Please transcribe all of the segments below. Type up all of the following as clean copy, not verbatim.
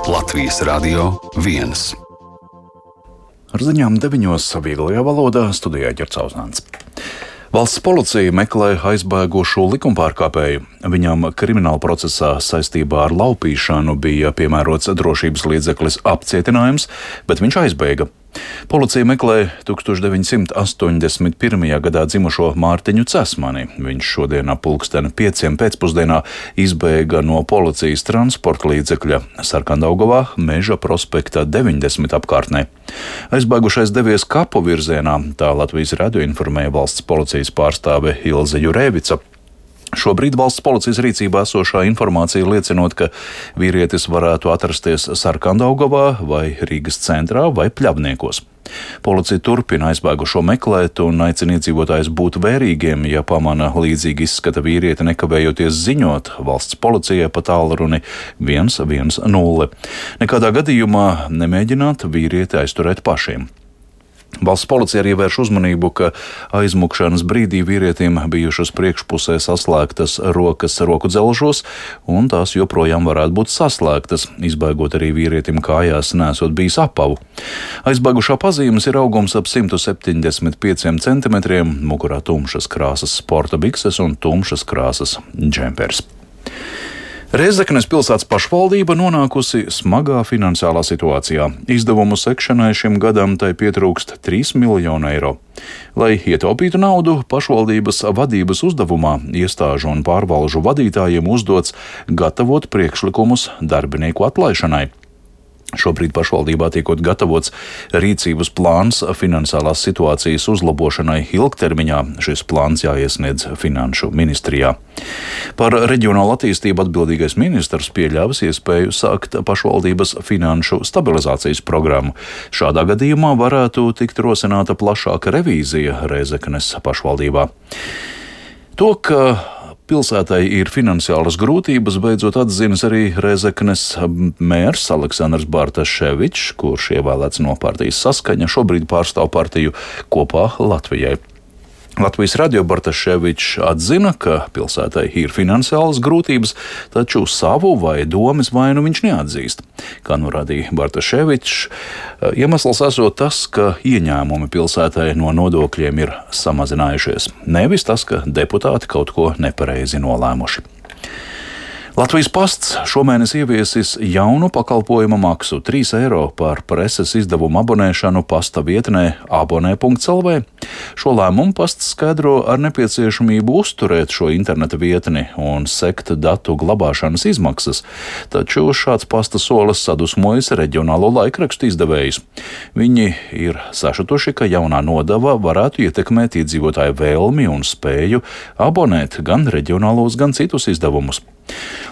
Latvijas Radio 1. Ar ziņām 9. vieglajā valodā studijā Ģercauzāns. Valsts policija meklē aizbēgušu likumpārkāpēju. Viņam krimināla procesā saistībā ar laupīšanu bija piemērots drošības līdzeklis apcietinājums, bet viņš aizbēga. Policija meklē 1981. gadā dzimušo Mārtiņu Cesmani. Viņš šodien ap 5:00 pēcpusdienā izbēga no policijas transporta līdzekļa Sarkandaugavā, Meža prospekta 90 apkārtnē. Aizbēgušais devies kapu virzienā, tā Latvijas radio informēja valsts policijas pārstāve Ilze Jurēvica. Šobrīd valsts policijas rīcībā esošā informācija liecinot, ka vīrietis varētu atrasties Sarkandaugavā vai Rīgas centrā vai Pļavniekos. Policija turpina aizbēgušo meklēt un aicina iedzīvotājus būt vērīgiem, ja pamana līdzīgi izskata vīrieti, nekavējoties ziņot valsts policijai pa tālruni 110. Nekādā gadījumā nemēģināt vīrieti aizturēt pašiem. Valsts policija arī vērš uzmanību, ka aizmukšanas brīdī vīrietim bijušas priekšpusē saslēgtas rokas roku dzelžos, un tās joprojām varētu būt saslēgtas, izbēgot arī vīrietim kājās nesot bijis apavu. Aizbēgušā pazīmes ir augums ap 175 centimetriem, mugurā tumšas krāsas sporta bikses un tumšas krāsas džempers. Rēzeknes pilsētas pašvaldība nonākusi smagā finansiālā situācijā. Izdevumu sekšanai šim gadam tai pietrūkst 3 miljonu eiro. Lai ietaupītu naudu, pašvaldības vadības uzdevumā iestāžu un pārvalžu vadītājiem uzdots gatavot priekšlikumus darbinieku atlaišanai. Šobrīd pašvaldībā tiekot gatavots rīcības plāns finansiālās situācijas uzlabošanai ilgtermiņā. Šis plāns jāiesniedz Finanšu ministrijā. Par reģionālu attīstību atbildīgais ministrs pieļāvis iespēju sākt pašvaldības finanšu stabilizācijas programmu. Šādā gadījumā varētu tikt rosināta plašāka revīzija Rēzeknes pašvaldībā. To, ka pilsētai ir finansiālas grūtības, beidzot atzinis arī Rēzeknes mērs Aleksandrs Bartaševičs, kurš ievēlēts no partijas Saskaņa, šobrīd pārstāv partiju Kopā Latvijai. Latvijas radio Bartaševičs atzina, ka pilsētai ir finansiālas grūtības, taču savu vai domas vainu viņš neatzīst. Kā norādīja Bartaševičs, iemesls esot tas, ka ieņēmumi pilsētai no nodokļiem ir samazinājušies, nevis tas, ka deputāti kaut ko nepareizi nolēmuši. Latvijas pasts šomēnes ieviesis jaunu pakalpojuma maksu 3 eiro par preses izdevumu abonēšanu pasta vietnē abonē.lv. Šo lēmumu pasts skaidro ar nepieciešamību uzturēt šo interneta vietni un sekt datu glabāšanas izmaksas, taču šāds pasta solis sadusmojas reģionālo laikrakstu izdevējus. Viņi ir sašutuši, ka jaunā nodeva varētu ietekmēt iedzīvotāju vēlmi un spēju abonēt gan reģionālos, gan citus izdevumus.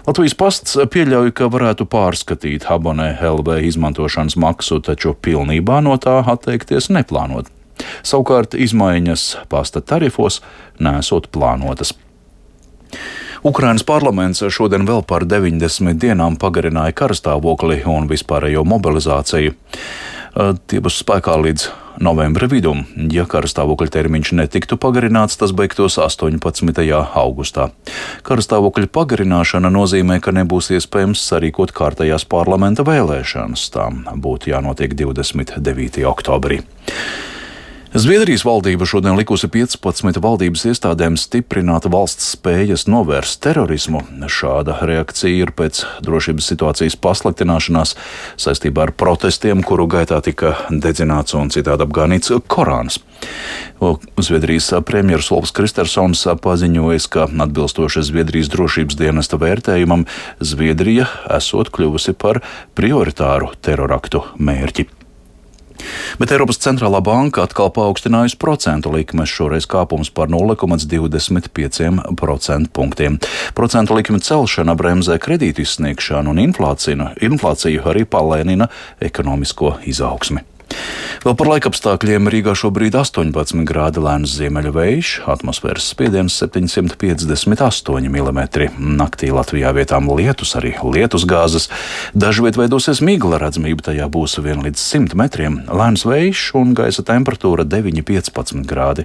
Latvijas pasts pieļauj, ka varētu pārskatīt abonē LV izmantošanas maksu, taču pilnībā no tā atteikties neplānot. Savukārt izmaiņas pasta tarifos nesot plānotas. Ukrainas parlaments šodien vēl par 90 dienām pagarināja karstāvokli un vispārējo mobilizāciju. Tie būs spēkā līdz novembra vidum. Ja karstāvokļa termiņš netiktu pagarināts, tas beigtos 18. augustā. Karstāvokļa pagarināšana nozīmē, ka nebūs iespējams sarīkot kārtējās parlamenta vēlēšanas. Tām būtu jānotiek 29. oktobrī. Zviedrijas valdība šodien likusi 15 valdības iestādēm stiprināt valsts spējas novērst terorismu. Šāda reakcija ir pēc drošības situācijas pasliktināšanās saistībā ar protestiem, kuru gaitā tika dedzināts un citādi apgānīts Korāns. Zviedrijas premjeras Ulfs Kristersons paziņoja, ka atbilstoši Zviedrijas drošības dienesta vērtējumam, Zviedrija esot kļuvusi par prioritāru teroraktu mērķi. Bet Eiropas centrālā banka atkal paaugstinājusi procentu likmes, šoreiz kāpums par 0,25% punktiem. Procentu likme celšana bremzē kredītu izsniegšanu un inflāciju arī palēnina ekonomisko izaugsmi. Vēl par laikapstākļiem. Rīgā šobrīd 18 grādi, lēns ziemeļu vējš, atmosfēras spiediens 758 mm. Naktī Latvijā vietām lietus, arī lietus gāzes. Dažviet veidosies migla, redzamība tajā būs 1 līdz 100 metriem. Lēns vējš un gaisa temperatūra 9–15 grādi.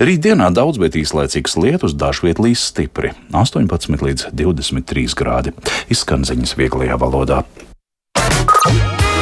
Rītdienā daudz, bet īslaicīgs lietus, dažviet līs stipri 18 līdz 23 grādi. Izskan ziņas vieglajā valodā.